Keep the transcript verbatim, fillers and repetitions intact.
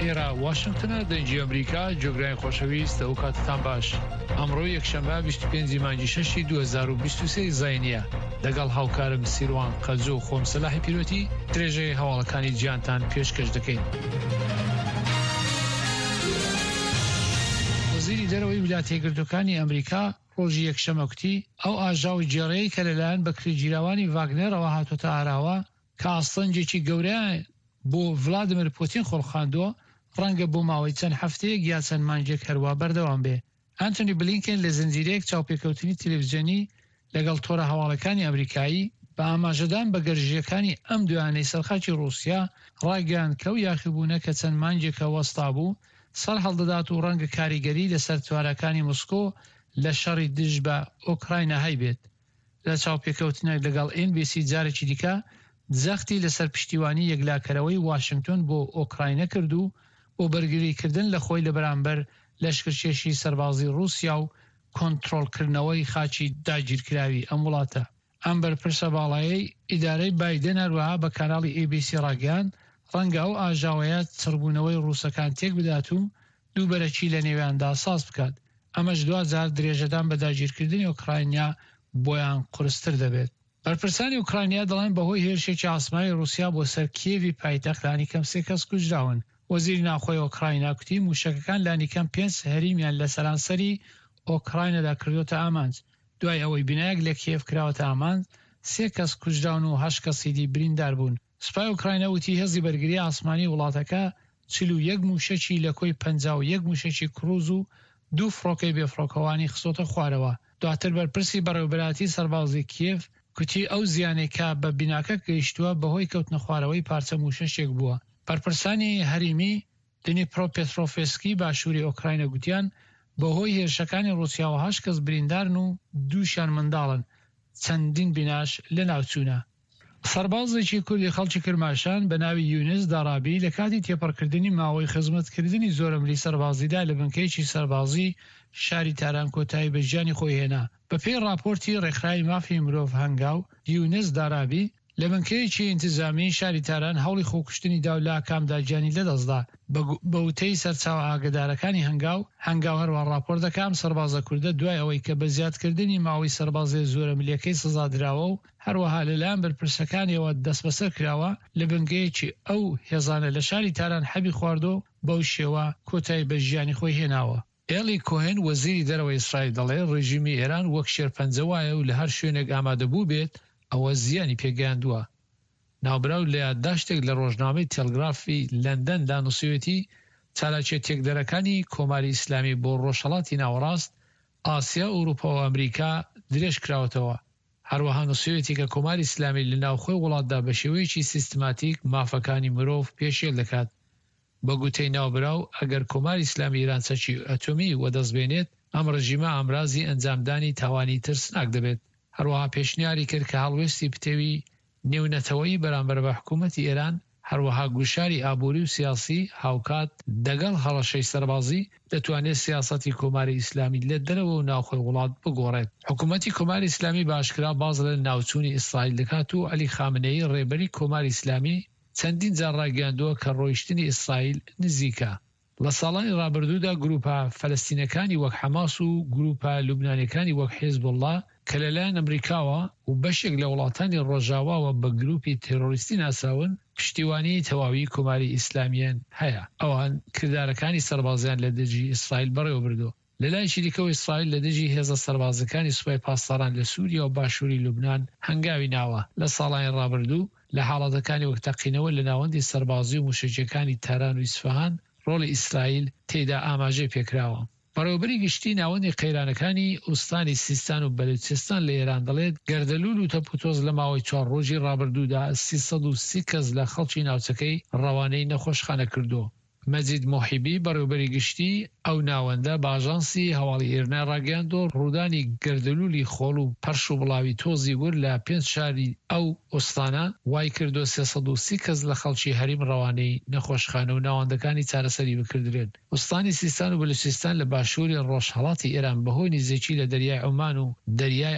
ئێرە واشنگتنە، دەنگی ئەمریکا، گوێگرانی خۆشەویست ئەو کاتتان باش. ئەمڕۆ یەکشەممە بیست و پێنج مانگی شەشی دوو هەزار و بیست و سێ زاینیە. لەگەڵ هاوکارم سیروان قەجۆ و خۆم سەلاحی پیرۆتی درێژەی هەواڵەکانی جیهانتان پێشکەش دەکەین. وەزیری دەرەوەی ویلایەتە یەکگرتووەکانی ئەمریکا ڕۆژی یەکشەممە کوتی ئەو ئاژاوە گێڕەیە کە لەلایەن بەکرێگیراوانی ڤاگنەرەوە هاتۆتە ئاراوە کە ئاستەنگێکی گەورەیان بۆ ڤلادیمیر پوتین خۆڵقاندووە، ڕەنگە بۆ ماوەی چەند هەفتەیەک یا چەند مانگێک هەروا بەردەوام بێ. ئەنتۆنی بلینکن لە زنجیرەیەک چاوپێکەوتنی تەلەڤیزیۆنی لەگەڵ تۆڕە هەواڵەکانی ئەمریکایی بە ئاماژەدان بە گەرژییەکانی ئەم دوایانەی سەرخاکی ڕووسیا ڕایگەیاند کە ئەو یاخیبوونە کە چەند مانگێکە وەستا بوو سەر هەڵدەدات و ڕەنگە کاریگەری لەسەر تواناکانی مسکۆ لە شەڕی دژ بە ئۆکراینا هەیبێت. لە چاوپێکەوتنێک لەگەڵ ئێن بی سی جارێکی دیکە جەختی لەسەر پشتیوانی یەکلاکەرەوەی واشنگتۆن بۆ ئۆکراینا کرد و بۆ بەرگریکردن لە خۆی لە بەرامبەر لەشکرکێشی سەربازی ڕووسیا و کۆنترۆڵکردنەوەی خاکی داگیرکراوی ئەم وڵاتە. ئەم بەرپرسە باڵایەی ئیدارەی بایدن هەروەها بە کاناڵی ئێ بی سی ڕاگەیاند ڕەنگە ئەو ئاژاوەیە چڕبوونەوەی ڕووسەکان تێک بدات و دووبەرەکی لە نێویاندا ساز بکات. ئەمەش دواجار درێژەدان بە داگیرکردنی ئۆکرانیا بۆیان قورستر دەبێت. بەرپرسانی ئۆکرانیا دەڵێن بەهۆی هێرشێکی ئاسمانی ڕووسیا بۆ سەر کیێڤی پایتەخت لانیکەم سێ کەس کوژراون. وەزیری ناوخۆی ئۆکراینا کوتی موشەکەکان لانیکەم پێنج هەریمیان لە سەرانسەری ئۆکراینادا کردوتە ئامانج. دوای ئەوەی بینایەک لە کیێڤ کراوەتە ئامانج، سێ کەس کوژراون و هەشت کەسی دی بریندار بوون. سوپای ئۆکراینا وتی هێزی بەرگری ئاسمانی وڵاتەکە چل و یەک موشەکی لە کۆی پەنجا و یەک موشەکی کروز و دوو فڕۆکەی بێفڕۆکەوانی خستۆتە خوارەوە. دواتر بەرپرسی بەڕێوەبەرایەتی سەربازی کیێڤ کوتی ئەو زیانەی کە بە بیناکە گەیشتووە بەهۆی کەوتنە خوارەوەی پارچە موشەکێک بووە. بەرپرسانی هەریمی دنیپرۆپێترۆفسکی باشووری ئۆکراینا گوتیان بەهۆی هێرشەکانی ڕووسیاوە هەشت کەس بریندارن و دووشیان منداڵن، چەندین بیناش لەناوچوونە. سەربازێکی کوردی خەڵکی کرماشان بە ناوی یونس دارابی لە کاتی تێپەڕکردنی ماوەی خزمەتکردنی زۆرەملی سەربازیدا لە بنکەیەکی سەربازی شاری تاران کۆتایی بە ژیانی خۆی هێنا. بەپێی ڕاپۆرتی ڕێکخراوی مافی مرۆڤ هەنگاو، یونس دارابی لە بنکەیەکی ئینتزامی شاری تاران هەوڵی خۆکوشتنی دا و لە ئاکامدا گیانی لەدەستدا. بە وتەی سەرچاوە ئاگادارەکانی هەنگاو، هەنگاو هەروەها ڕاپۆرت دەکا ئەم سەربازە کوردە دوای ئەوەی کە بە زیادکردنی ماوەی سەربازیە زۆرەملیەکەی سزا دراوە و هەروەها لەلایەن بەرپرسەکانیەوە دەستبەسەر کراوە، لە بنکەیەکی ئەو هێزانە لە شاری تاران حەبی خواردووە و بەو شێوە کۆتایی بە ژیانی خۆی هێناوە. ئێلی کۆهێن وەزیری دەرەوەی ئیسرائیل دەڵێ ڕێژیمی ئێران وەک شێرپەنجە وایە و لە هەر شوێنێک ئامادە بوو بێت ئەوە زیانی پێگەیاندووە. ناوبراو لە یادداشتێک لە ڕۆژنامەی تێلگرافی لەندەندا نووسیویەتی چالاکیە تێکدەرەکانی کۆماری ئیسلامی بۆ ڕۆژهەڵاتی ناوەڕاست، ئاسیا، ئەوروپا و ئەمریکا درێژ کراوەتەوە. هەروەها نووسیویەتی کە کۆماری ئیسلامی لە ناوخۆی وڵاتدا بە شێوەیەکی سیستماتیک مافەکانی مرۆڤ پێشێل دەکات. بە گوتەی ناوبراو ئەگەر کۆماری ئیسلامی ئێران چەکی ئەتۆمی وەدەست بێنێت، ئەم ڕژیمە ئامرازی ئەنجامدانی تاوانی ترسناک دەبێت. هەروەها پێشنیاری کرد کە هەڵوێستی پتەوی نێونەتەوەیی بەرامبەر بە حکوومەتی ئێران، هەروەها گوشاری ئابووری و سیاسی هاوکات دەگەڵ هەڕەشەی سەربازی دەتوانێت سیاسەتی کۆماری ئیسلامی لە دەرەوە و ناوخۆی وڵات بگۆڕێت. حکوومەتی کۆماری ئیسلامی بە ئاشکرا باز لە ناوچوونی ئیسرائیل دەکات و عەلی خامنەیی ڕێبەری کۆماری ئیسلامی چەندین جار ڕایگەیاندووە کە ڕۆیشتنی ئیسرائیل نزیکە. لە ساڵانی ڕابردوودا گروپە فەلەستینەکانی وەک حەماس و گروپە لوبنانیەکانی وەک حیزبوڵڵا کە لەلایەن ئەمریکاوە و بەشێک لە وڵاتانی ڕۆژاواوە بە گروپی تێرۆریستی ناسراون، پشتیوانی تەواوی کۆماری ئیسلامیان هەیە. ئەوان کردارەکانی سەربازیان لە دژی ئیسرائیل بەڕێوەبردووە. لەلایەکی دیکەوە ئیسرائیل لە دژی هێزە سەربازەکانی سوپای پاسداران لە سووریا و باشووری لوبنان هەنگاوی ناوە. لە ساڵانی ڕابردوو لە حاڵەتەکانی وەک تەقینەوە لە ناوەندی سەربازی و موشەکیەکانی تاران و ئیسفەهان ڕۆڵی ئیسرائیل تێیدا ئاماژەی پێکراوە. بەڕێوەبەری گشتی ناوەندی قەیرانەکانی ئوستانی سیستان و بەلوچستان لە ئێران دەڵێت گەردەلوول و تەپوتۆز لە ماوەی چوار ڕۆژی ڕابردوودا سێ سەد و سی کەس لە خەڵکی ناوچەکەی ڕەوانەی نەخۆشخانە کردووە. مەجید موحیبی بەڕێوەبەری گشتی ئەو ناوەندە بە ئاژانسی هەواڵی ئیرنای ڕاگەیاندووە ڕوودانی گەردەلوولی خۆڵ و پەرش و بڵاوی تۆزی ورد لە پێنج شاری ئەو ئوستانە وای کردووە سێ سەد و سی کەس لە خەڵکی هەریم ڕەوانەی نەخۆشخانە و ناوەندەکانی چارەسەری بکردرێن. ئوستانی سیستان و بەلوچستان لە باشووری ڕۆژهەڵاتی ئێران بەهۆی نزیکی لە دەریای عومان و دەریای